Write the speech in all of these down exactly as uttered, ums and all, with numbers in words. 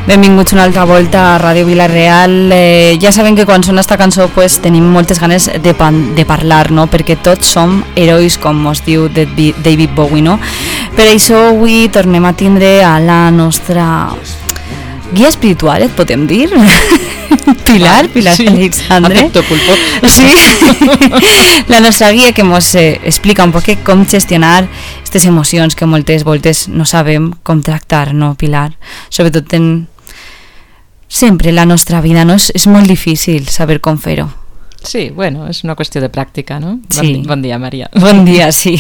Benvinguts una altra volta a Ràdio Vila-real. Eh, ja sabem que quan sona esta cançó pues, tenim moltes ganes de, pan, de parlar, no? Perquè tots som herois, com mos diu David Bowie, no? Per això avui tornem a tindre a la nostra guia espiritual, et podem dir? Pilar, Pilar sí, Alexandre. Acepto pulpo. Sí, la nostra guia que ens eh, explica un poc com gestionar aquestes emocions que moltes voltes no sabem com tractar, no, Pilar? Sobretot en... Sempre la nostra vida, no? És, és molt difícil saber com fer-ho. Sí, bueno, és una qüestió de pràctica, no? Sí. Bon, bon dia, Maria. Bon dia, sí.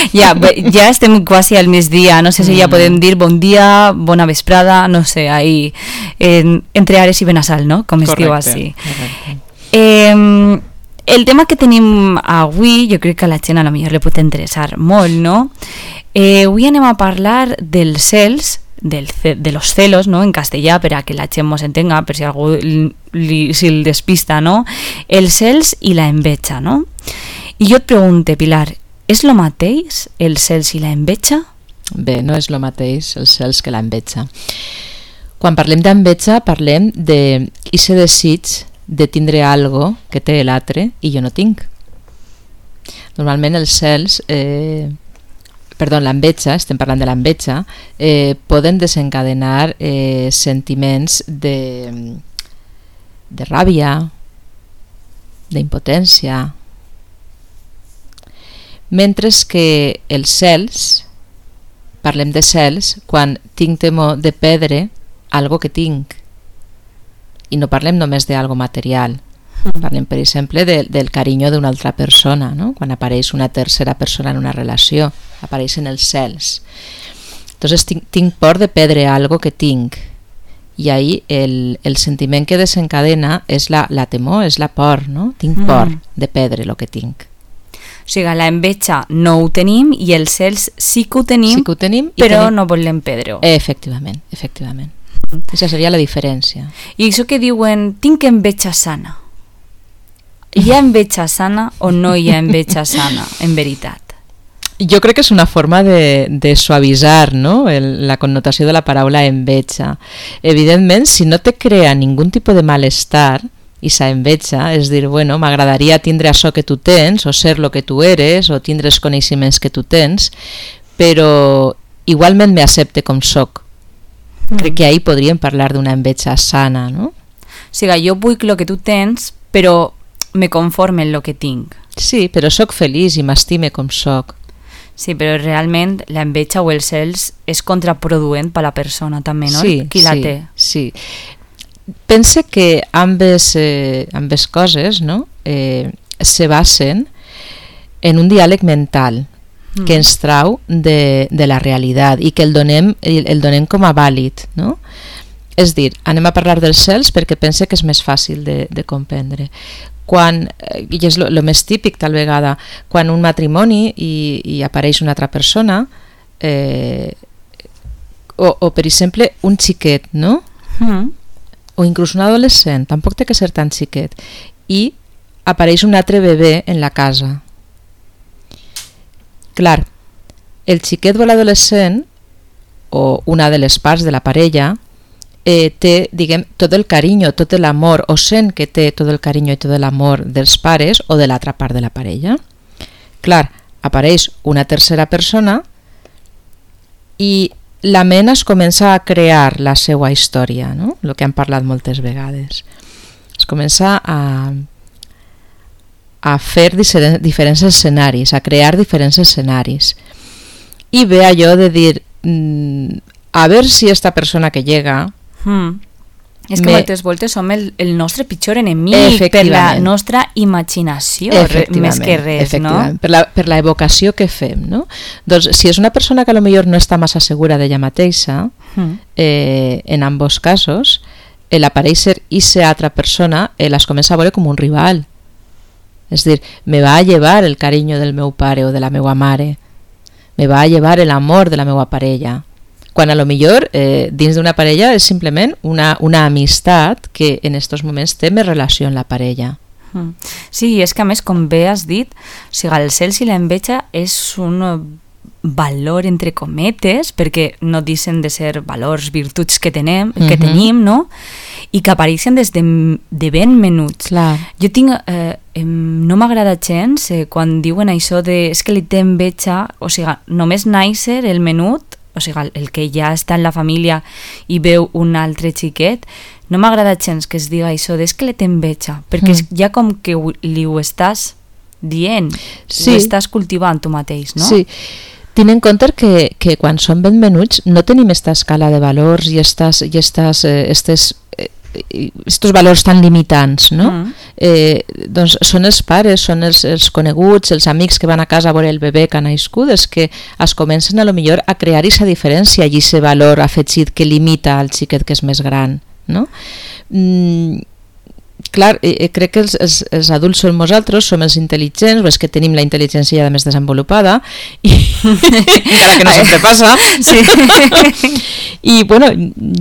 Ja, ja estem quasi al migdia, no sé si ja podem dir bon dia, bona vesprada, no sé, ahí, en, entre Ares i Benassal, no? Com es correcte, diu així. Correcte. Eh, el tema que tenim avui, jo crec que a la gent a lo millor li pot interessar molt, no? Eh, avui anem a parlar dels cels, del, de los celos, ¿no? En castellà, per a que la gent mos entenga, per si algú li, si el despista, no? Els cels i la enveja, no? I jo et pregunte, Pilar, és lo mateix els cels i la enveja? Bé, no és lo mateix els cels que la enveja. Quan parlem d'enveja parlem de ese desig de tindre algo que té l'altre i jo no tinc. Normalment els cels... Eh, perdó, l'enveja, estem parlant de l'enveja, eh, poden desencadenar eh, sentiments de, de ràbia, d'impotència, mentre que els cels, parlem de cels, quan tinc temor de perdre algo que tinc, i no parlem només d'algo material, parlem, per exemple, de, del carinyo d'una altra persona, no? Quan apareix una tercera persona en una relació, apareixen els cels. Entonces tinc, tinc por de perdre algo que tinc, i ahí el, el sentiment que desencadena és la, la temor, és la por, no? Tinc por mm. de perdre el que tinc. O sigui, la enveja no ho tenim i els cels sí que ho tenim, sí que ho tenim però tenim... no volem perdre-ho. Efectivament, efectivament. Aquesta seria la diferència. I això que diuen, tinc enveja sana. Hi ha enveja sana o no hi ha enveja sana, en veritat? Jo crec que és una forma de, de suavitzar, no? El, la connotació de la paraula enveja. Evidentment, si no te crea ningun tipus de malestar, i sa enveja, és dir, bueno, m'agradaria tindre això que tu tens, o ser lo que tu eres, o tindre els coneixements que tu tens, però igualment m'accepte com soc. Mm. Crec que ahí podríem parlar d'una enveja sana, no? O sigui, jo vull lo que tu tens, però me conforme en lo que tinc. Sí, però sóc feliç i m'estime com sóc. Sí, però realment l'enveja o els cels és contraproduent per a la persona també, no? Sí, qui la sí, té. Sí. Pense que ambes, eh, ambes coses, no? eh, se basen en un diàleg mental mm. que ens trau de, de la realitat i que el donem, el donem com a vàlid, no? És dir, anem a parlar dels cels perquè pense que és més fàcil de, de comprendre. Quan, i és el més típic tal vegada, quan un matrimoni i, i apareix una altra persona, eh, o, o per exemple un xiquet, no? Mm. O inclús un adolescent, tampoc té que ser tan xiquet, i apareix un altre bebè en la casa. Clar, el xiquet o l'adolescent, o una de les parts de la parella, Eh, té, diguem, tot el carinyo, tot l'amor, o sent que té tot el carinyo i tot l'amor dels pares o de l'altra part de la parella. Clar, apareix una tercera persona i la ment es comença a crear la seva història, no? El que hem parlat moltes vegades. Es comença a, a fer diferents escenaris, a crear diferents escenaris. I ve allò de dir, mmm, a veure si esta persona que llega... Mm. És que me... moltes voltes som el, el nostre pitjor enemic per la nostra imaginació, més que res, no? Per la, per la evocació que fem, no? Doncs si és una persona que a lo millor no està massa segura d'ella mateixa, mm. eh, en ambos casos, el aparèixer esa altra persona eh, les comença a veure com un rival. És dir, me va a llevar el carinyo del meu pare o de la meva mare, me va a llevar el amor de la meva parella, quan a lo millor eh, dins d'una parella és simplement una, una amistat que en aquests moments té més relació amb la parella. Sí, és que a més, com bé has dit, o sigui, el cels i l'enveja és un valor entre cometes, perquè no deixen de ser valors, virtuts que tenem, uh-huh. que tenim, no? I que apareixen des de, de ben menuts. Clar. Jo tinc... Eh, eh, no m'agrada gens eh, quan diuen això de... És que li té enveja, o sigui, només nàixer el menut, o sigui, el que ja està en la família i veu un altre xiquet, no m'agrada gens que es diga això de és que li té enveja, perquè mm. ja com que ho, li ho estàs dient, sí. ho estàs cultivant tu mateix, no? Sí. Ten en compte que, que quan som ben menuts no tenim esta escala de valors i estas, i estas, eh, estes, eh, estos valors tan limitants, no? Mm. Eh, doncs són els pares, són els, els coneguts, els amics que van a casa a veure el bebè que ha nascut, és que es comencen a lo millor a crear aquesta diferència i aquest valor afegit que limita al xiquet que és més gran, no? Mm, clar, eh, crec que els, els, els adults som nosaltres, som els intel·ligents, és que tenim la intel·ligència ja més desenvolupada i encara que no sempre passa sí. I bueno,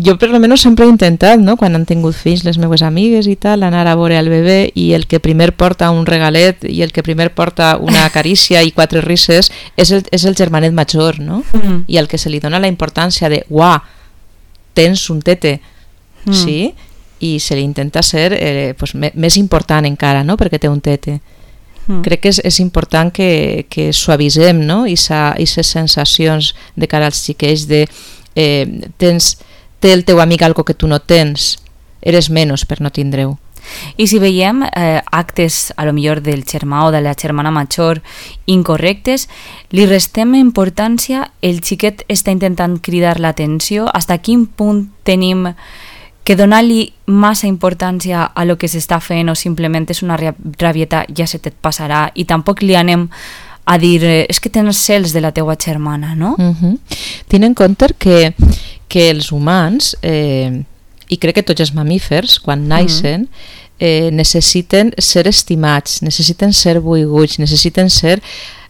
jo per almenys sempre he intentat, no? Quan han tingut fills les meves amigues i tal, anar a veure el bebè i el que primer porta un regalet i el que primer porta una carícia i quatre risses és el, és el germanet major, no? Mm. I al que se li dona la importància de uah, tens un tete, mm. sí? I se li intenta ser eh, pues, me, més important encara, no? Perquè té un tete. Mm. Crec que és, és important que, que suavisem, no? I aquestes sensacions de cara als xiquets de eh, tens, té el teu amic algo que tu no tens, eres menys per no tindre-ho. I si veiem eh, actes a lo millor del germà o de la germana major incorrectes, li restem importància, el xiquet està intentant cridar l'atenció, fins a quin punt tenim que donar-li massa importància a lo que s'està fent o simplement és una rabieta, ja se te't passarà, i tampoc li anem a dir eh, és que tens cels de la teua germana, no? Uh-huh. Ten en compte que, que els humans, eh, i crec que tots els mamífers, quan naixen, uh-huh. eh, necessiten ser estimats, necessiten ser volguts, necessiten ser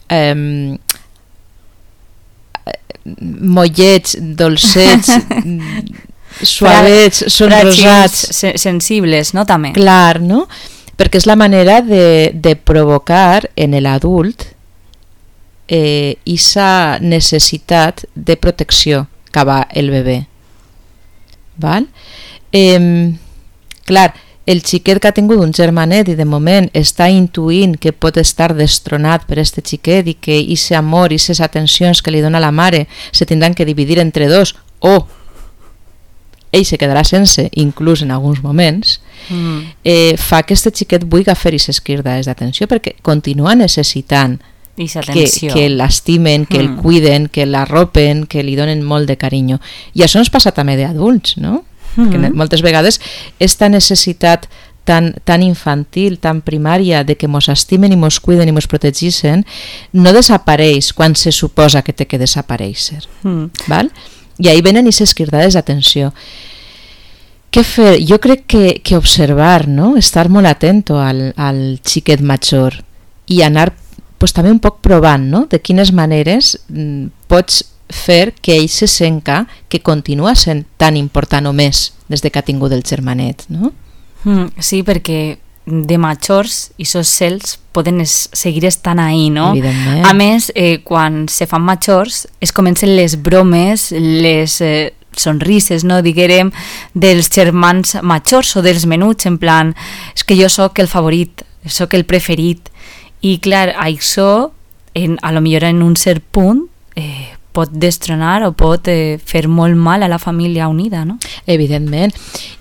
eh, mollets, dolcets, suavets, són rosats, sensibles, no? També. Clar, no? Perquè és la manera de, de provocar en l'adult eh, esa necessitat de protecció cap al bebè. Val? Eh, clar, el xiquet que ha tingut un germanet i de moment està intuint que pot estar destronat per este xiquet i que aquest amor i aquestes atencions que li dona la mare se tindran que dividir entre dos o ell se quedarà sense, inclús en alguns moments, mm. eh, fa que aquest xiquet vulgui fer aquestes cridades d'atenció perquè continua necessitant que, que l'estimen, que mm. el cuiden, que l'arropen, que li donen molt de carinyo. I això ens passa també d'adults, no? Mm. Que moltes vegades esta necessitat tan, tan infantil, tan primària de que mos estimen i mos cuiden i mos protegeixen no desapareix quan se suposa que té que desaparèixer. Mm. Val? I ahí venen aquestes cridades d'atenció. Què fer? Jo crec que, que observar, no? Estar molt atento al, al xiquet major i anar pues, també un poc provant, no? De quines maneres mm, pots fer que ell se senta que continua sent tan important o més des de que ha tingut el germanet, no? Mm, sí, perquè de majors i sos cels poden es, seguir estant ahí, no? Evidentment. A més, eh, quan se fan majors es comencen les bromes, les eh, sonrises, no, diguérem, dels germans majors o dels menuts, en plan, és que jo sóc el favorit, sóc el preferit, i clar, això, en, a lo millor en un cert punt, eh, pot destronar o pot eh, fer molt mal a la família unida, no? Evidentment.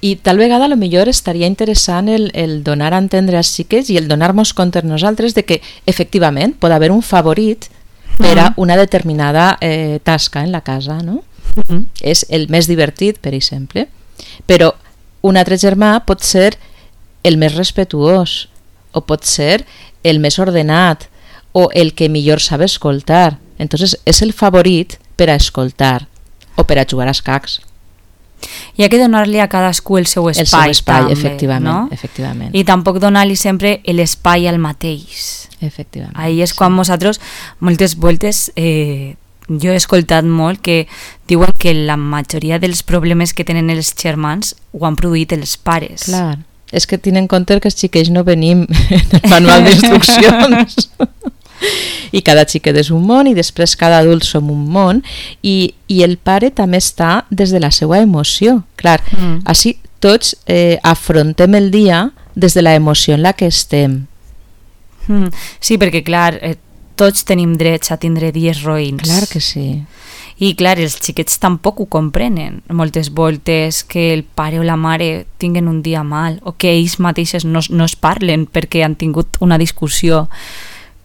I tal vegada a lo millor estaria interessant el, el donar a entendre als xiquets i el donar-nos compte nosaltres de que efectivament pot haver un favorit per a una determinada eh, tasca en la casa, no? Uh-huh. És el més divertit, per exemple. Però un altre germà pot ser el més respetuós o pot ser el més ordenat o el que millor sabe escoltar. Entonces és el favorit per a escoltar o per a jugar a escacs. Hi ha que donar-li a cadascú el seu espai, el seu espai també, efectivament, no? efectivament. I tampoc donar-li sempre l'espai al mateix. Efectivament. Ahí és quan sí. Nosaltres, moltes voltes, eh, jo he escoltat molt que diuen que la majoria dels problemes que tenen els germans ho han produït els pares. Clar, és que tenen en compte que els xiquets no venim en el manual d'instruccions. I cada xiquet és un món i després cada adult som un món i, i el pare també està des de la seva emoció. Clar, mm. així tots eh, afrontem el dia des de la emoció en la que estem. Mm. Sí, perquè clar, eh, tots tenim drets a tindre dies roïns. Clar que sí. I clar, els xiquets tampoc ho comprenen moltes voltes, que el pare o la mare tinguen un dia mal o que ells mateixos no, no es parlen perquè han tingut una discussió.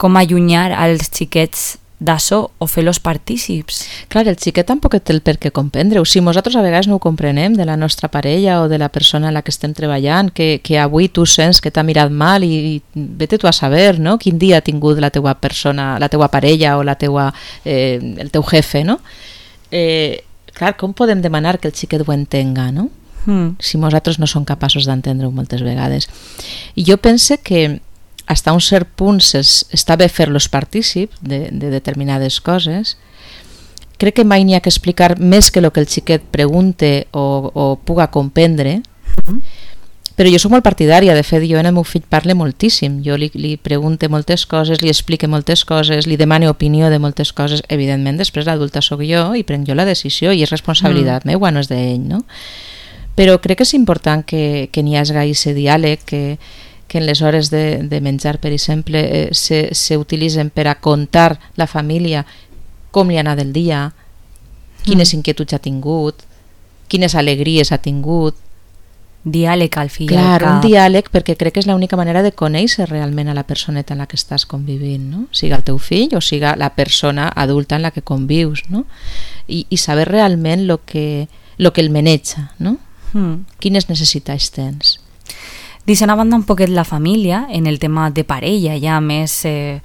Com allunyar als xiquets d'això o fer-los partícips. Clar, el xiquet tampoc té el per què comprendre-ho. Si nosaltres a vegades no ho comprenem de la nostra parella o de la persona en la que estem treballant, que, que avui tu sents que t'ha mirat mal i, i vete tu a saber, no? Quin dia ha tingut la teua persona, la teua parella o la teua, eh, el teu jefe, no? Eh, clar, com podem demanar que el xiquet ho entenga, no? Mm. Si nosaltres no som capaços d'entendre-ho moltes vegades. I jo pense que fins a un cert punt està bé fer-los partícips de, de determinades coses. Crec que mai n'hi ha que explicar més que el que el xiquet pregunte o, o puga comprendre, mm. però jo soc molt partidària. De fet, jo en el meu fill parle moltíssim. Jo li, li pregunte moltes coses, li explique moltes coses, li demane opinió de moltes coses. Evidentment, després l'adulta sóc jo i prenc jo la decisió i és responsabilitat mm. meua, no és d'ell, no? Però crec que és important que, que n'hi hagi aquest diàleg, que que en les hores de, de menjar, per exemple, eh, se, se utilitzen per a contar la família com li ha anat el dia, quines mm. inquietuds ha tingut, quines alegries ha tingut. Diàleg al fill. Clar, un diàleg, perquè crec que és l'única manera de conèixer realment a la personeta en la que estàs convivint, no? Siga el teu fill o siga la persona adulta en la que convius, no? I, i saber realment lo que, lo que el maneja, no? Mm. Quines necessitats tens. Deixant a banda un poquet la família, en el tema de parella, ja més eh,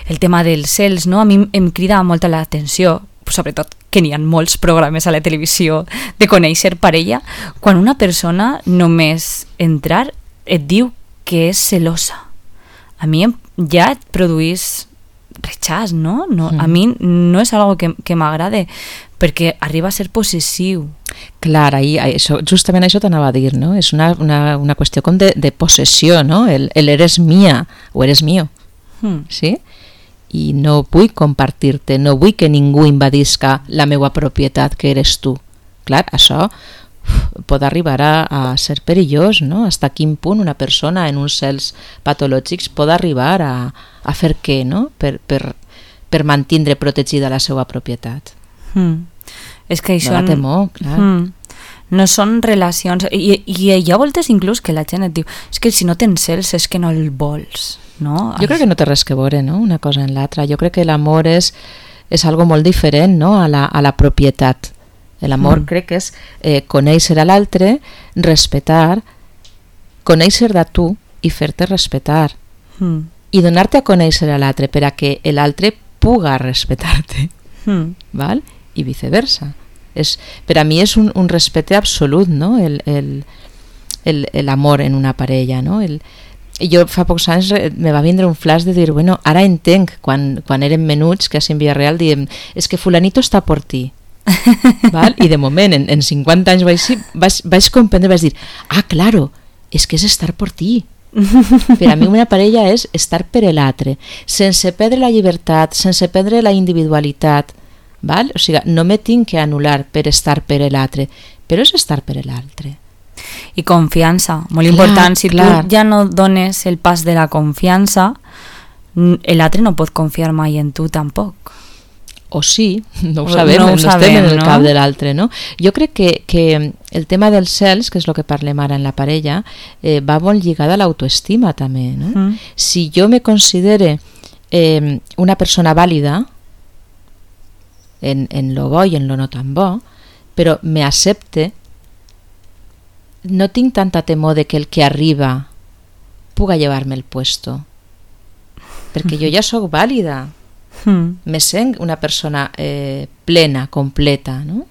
el tema dels cels, no? A mi em crida molta l'atenció, sobretot que n'hi ha molts programes a la televisió de conèixer parella, quan una persona només entrar et diu que és celosa. A mi ja et produís rechaç, no? no mm. A mi no és algo que, que m'agrade, perquè arriba a ser possessiu. Clar, ahí, això, justament això t'anava a dir, no? És una, una, una qüestió com de, de possessió, no? El, el eres mia o eres mío, mm. sí? I no vull compartir-te, no vull que ningú invadisca la meva propietat que eres tu. Clar, això uf, pot arribar a, a ser perillós, no? Hasta quin punt una persona en uns cels patològics pot arribar a, a fer què, no? Per, per, per mantindre protegida la seva propietat. Mm. És que això... No la temor, clar. Mm, no són relacions... I, i hi ha voltes inclús que la gent et diu és que si no tens cels és que no el vols, no? Jo crec que no té res que veure, no? Una cosa en l'altra. Jo crec que l'amor és, és algo molt diferent, no? A la, a la propietat. L'amor mm. crec que és eh, conèixer a l'altre, respetar, conèixer de tu i fer-te respetar. Mm. I donar-te a conèixer a l'altre per a que l'altre puga respectar-te. Mm. Val? I viceversa. És, per a mi és un, un respecte absolut, no? el, el, el, el amor en una parella, no? El, jo fa pocs anys me va vindre un flash de dir, bueno, ara entenc quan, quan érem menuts que a Sant Villarreal diem, és que fulanito està per ti. Val? I de moment en, en cinquanta anys vaig, vaig, vaig comprendre, vaig dir, ah, claro, és que és estar per ti. Per a mi una parella és estar per l'altre, sense perdre la llibertat, sense perdre la individualitat. Val? O sigui, no me tinc que anul·lar per estar per l'altre, però és estar per l'altre. I confiança, molt clar, important. Si clar. Tu ja no dones el pas de la confiança, l'altre no pot confiar mai en tu tampoc. O sí, no ho sabem, no, ho no sabem, estem en el no? cap de l'altre, no? Jo crec que, que el tema dels cels, que és el que parlem ara en la parella, eh, va molt lligada a l'autoestima també, no? Mm. Si jo me considere eh, una persona vàlida, en, en lo bo i en lo no tan bo, però me accepte, no tinc tanta temor de que el que arriba puga llevar-me el puesto, perquè jo ja sóc vàlida, mm. me sent una persona eh, plena, completa, no?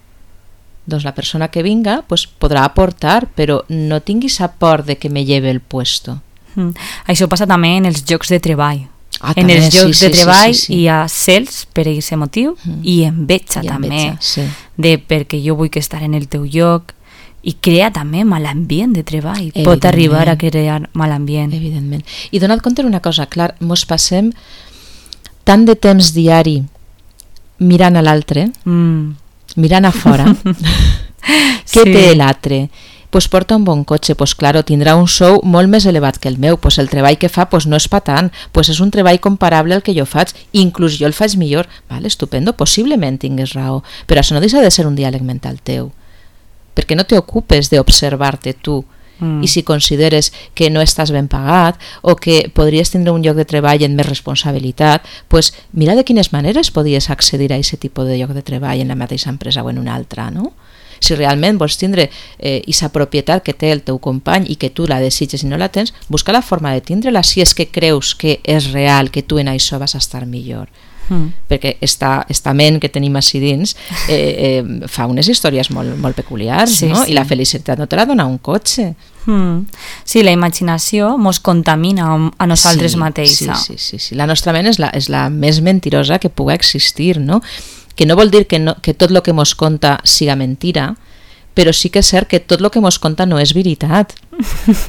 Doncs la persona que vinga pues, podrà aportar, però no tinguis a por de que me lleve el puesto. Mm. Això passa també en els llocs de treball. Ah, en també, els llocs sí, de sí, treball sí, sí, sí. hi ha cels per aquest motiu mm. i enveja I també enveja, sí. de perquè jo vull que estar en el teu lloc i crea també mal ambient de treball, pot arribar a crear mal ambient. Evidentment. I donat compte una cosa, clar, mos passem tant de temps diari mirant a l'altre, mm. mirant a fora, què sí. té l'altre? Pues porta un bon cotxe, pues claro, tindrà un sou molt més elevat que el meu, pues el treball que fa pues no és pa tant, pues és un treball comparable al que jo faig, inclús jo el faig millor, vale, estupendo, possiblement tingues raó, però això no deixa de ser un diàleg mental teu, perquè no t'ocupes d'observar-te tu, mm. i si consideres que no estàs ben pagat o que podries tindre un lloc de treball amb més responsabilitat, pues mira de quines maneres podies accedir a aquest tipus de lloc de treball en la mateixa empresa o en una altra, no? Si realment vols tindre aquesta eh, propietat que té el teu company i que tu la desitges i no la tens, busca la forma de tindre-la si és que creus que és real, que tu en això vas estar millor. Mm. Perquè esta, esta ment que tenim així dins eh, eh, fa unes històries molt, molt peculiars, sí, no? Sí. I la felicitat no te la dona un cotxe. Mm. Sí, la imaginació mos contamina a nosaltres sí, mateixa. Sí, sí, sí, sí. La nostra ment és la, és la més mentirosa que pugui existir, no? Que no vol dir que, no, que tot el que mos conta siga mentira, però sí que és cert que tot el que mos conta no és veritat.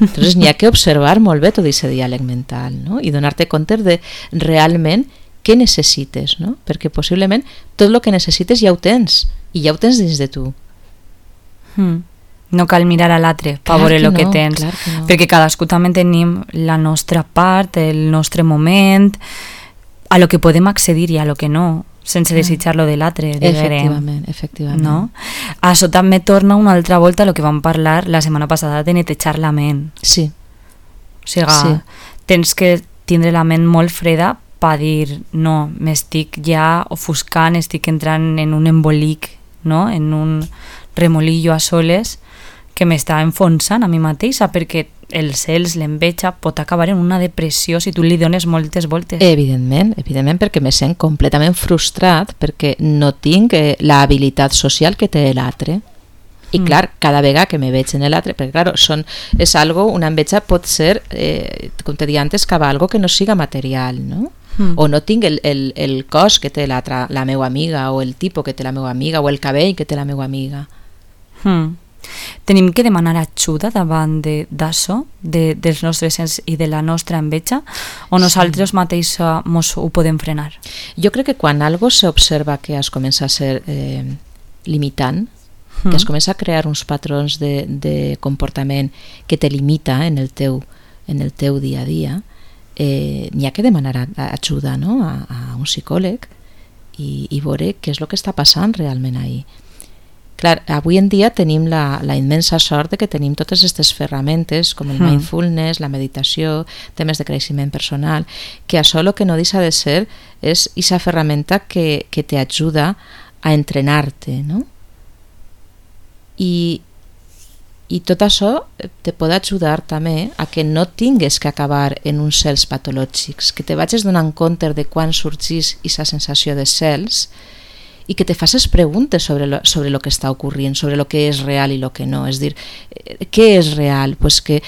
Entonces n'hi ha que observar molt bé tot aquest diàleg mental, no? I donar-te compte de realment què necessites, no? Perquè possiblement tot el que necessites ja ho tens, i ja ho tens dins de tu. Mm. No cal mirar a l'altre per veure el que, no, que tens, que no. Perquè cadascú també tenim la nostra part, el nostre moment, a lo que podem accedir i a lo que no, sense desitjar-lo de l'altre. Efectivament, efectivament. No? Això també torna una altra volta a lo que vam parlar la setmana passada de netejar la ment. Sí. O sigui, sí. tens que tindre la ment molt freda per dir, no, m'estic ja ofuscant, estic entrant en un embolic, no? En un remolillo a soles que m'està enfonsant a mi mateixa, perquè els cels, l'enveja, pot acabar en una depressió si tu li dones moltes voltes. Evidentment, evidentment, perquè me sent completament frustrat perquè no tinc eh, l'habilitat social que té l'altre. I mm. clar, cada vegada que me veig en l'altre, perquè clar, són, és algo, una enveja pot ser, eh, com te deia antes, cap a algo que no siga material, no? Mm. O no tinc el, el, el cos que té la, la meva amiga, o el tipus que té la meva amiga, o el cabell que té la meva amiga. Mm. Tenim que demanar ajuda davant d'això, de, dels nostres sents i de la nostra enveja, o nosaltres sí. mateix mos ho podem frenar? Jo crec que quan algo s'observa que es comença a ser eh, limitant, mm. que es comença a crear uns patrons de, de comportament que te limita en el teu, en el teu dia a dia, eh, n'hi ha que demanar ajuda, no? a, a un psicòleg i, i veure què és el que està passant realment ahí. Clar, avui en dia tenim la, la immensa sort de que tenim totes aquestes ferramentes com el mindfulness, la meditació, temes de creixement personal, que això el que no deixa de ser és aquesta ferramenta que, que t'ajuda a entrenar-te, no? I, i tot això te pot ajudar també a que no tingues que acabar en uns cels patològics, que te vagis donant compte de quan sorgís aquesta sensació de cels i que te faces preguntes sobre lo, sobre lo que està ocorrent, sobre lo que és real i lo que no. És dir, què és real? Pues que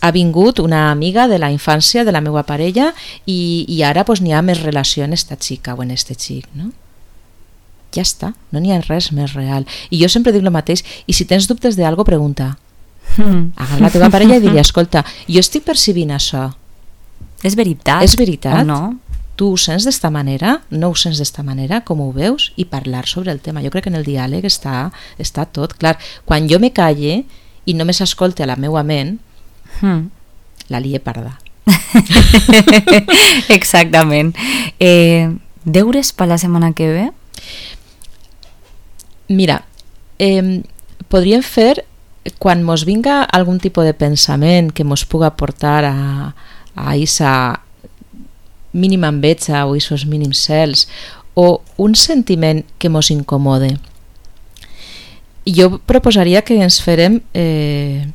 ha vingut una amiga de la infància de la meva parella i, i ara pues, n'hi ha més relació en esta xica o en este xic, no? Ja està, no n'hi ha res més real. I jo sempre dic el mateix, i si tens dubtes d'algo, pregunta. Mm. Agarra la teva parella i diria, escolta, jo estic percibint això. És veritat? És veritat? O no? Tu ho sents d'esta manera, no ho sents d'esta manera, com ho veus, i parlar sobre el tema. Jo crec que en el diàleg està, està tot. Clar, quan jo me calle i només escolte a la meua ment, hmm. la lie parda. Exactament. Eh, deures per la setmana que ve? Mira, eh, podríem fer, quan mos vinga algun tipus de pensament que mos puga portar a, a esa mínima enveja o esos mínims cels o un sentiment que mos incomode, jo proposaria que ens farem eh,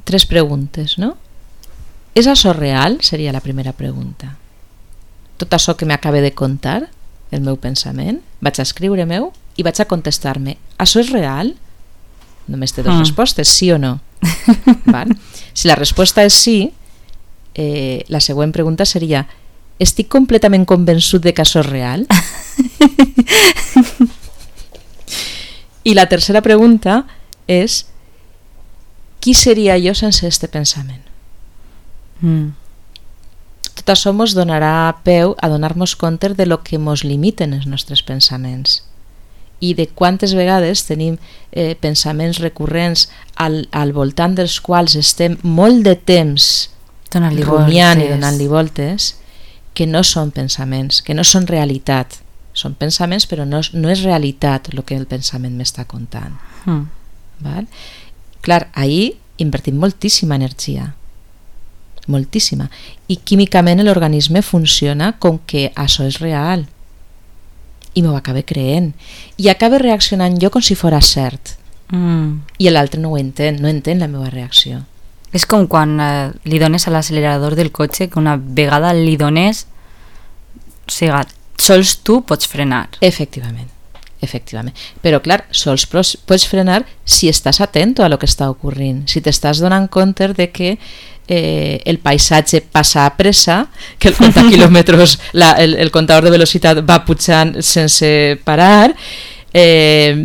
tres preguntes, no? És això real? Seria la primera pregunta. Tot això que m'acabe de contar, el meu pensament, vaig a escriure-m'ho i vaig a contestar-me, això és real? Només té dues mm. respostes, sí o no. Val? Si la resposta és sí, Eh, la següent pregunta seria, estic completament convençut de que això és real? I la tercera pregunta és, qui seria jo sense este pensament? Mm. tot això ens donarà peu a donar-nos compte de lo que ens limiten els nostres pensaments i de quantes vegades tenim eh, pensaments recurrents al, al voltant dels quals estem molt de temps Donar-li rumiant voltes. i donant-li voltes, que no són pensaments, que no són realitat. Són pensaments, però no, no és realitat el que el pensament m'està contant. Mm. Val? Clar, ahir invertim moltíssima energia, moltíssima, i químicament l'organisme funciona com que això és real, i m'ho acaba creent, i acaba reaccionant jo com si fos cert, Mm. i l'altre no ho entén, no entén la meva reacció. És com quan eh, li dones a l'accelerador del cotxe, que una vegada li dones, o sigui, sols tu pots frenar. Efectivament, efectivament. Però clar, sols pots frenar si estàs atento a lo que està ocorrint, si t'estàs donant compte de que eh, el paisatge passa a pressa, que el compte quilòmetres, la, el, el comptador de velocitat va pujant sense parar, eh,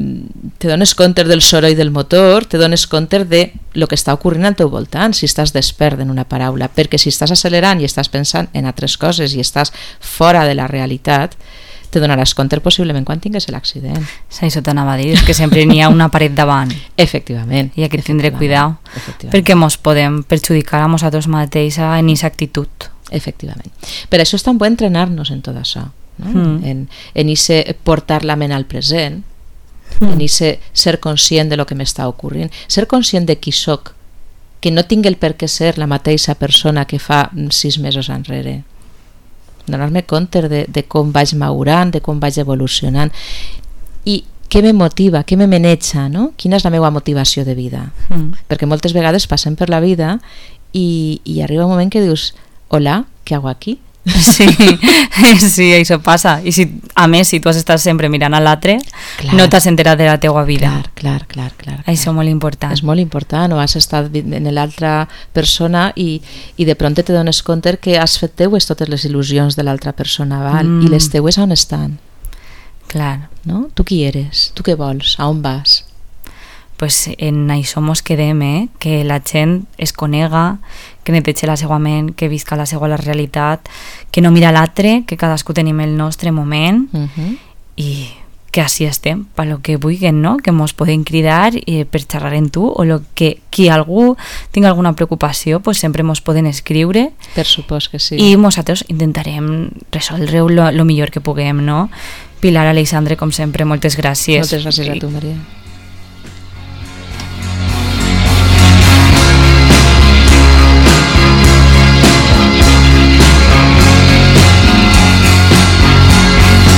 te dones compte del soroll del motor, te dones compte de lo que està ocorrint al teu voltant, si estàs despert en una paraula, perquè si estàs accelerant i estàs pensant en altres coses i estàs fora de la realitat, te donaràs compte possiblement quan tingues l'accident. Sí, això t'anava a dir, és que sempre n'hi ha una paret davant. Efectivament. I aquí tindré cuidado, perquè mos podem perjudicar a nosaltres mateixa en aquesta actitud. Efectivament. Per això és tan bo entrenar-nos en tot això, no? Mm. en, en ese portar la ment al present, mm. en ese ser conscient de lo que m'està ocorrint, ser conscient de qui soc, que no tinc el per què ser la mateixa persona que fa sis mesos enrere, donar-me compte de, de com vaig madurant, de com vaig evolucionant i què me motiva, què me maneja, no? Quina és la meva motivació de vida, Mm. perquè moltes vegades passem per la vida i, i arriba un moment que dius, hola, què hago aquí? Sí, sí, això passa. I si, a més, si tu has estat sempre mirant a l'altre, Clar. no t'has enterat de la teua vida. Clar, clar, clar, clar, clar. Això és molt important. És molt important, o has estat en l'altra persona i, i de pront te dones compte que has fet teues totes les il·lusions de l'altra persona, val? Mm. I les teues on estan? Clar. No? Tu qui eres? Tu què vols? A on vas? Pues en això mos quedem, eh? Que la gent es conega, que neteja la seva ment, que visca la seva la realitat, que no mira l'altre, que cadascú tenim el nostre moment Uh -huh. i que així estem, per lo que vulguin, no? Que mos poden cridar eh, per xerrar en tu, o lo que qui algú tingui alguna preocupació, pues sempre mos poden escriure. Per supòs que sí. I nosaltres intentarem resoldre-ho lo, lo millor que puguem, no? Pilar, Alexandre, com sempre, moltes gràcies. Moltes gràcies a tu, Maria.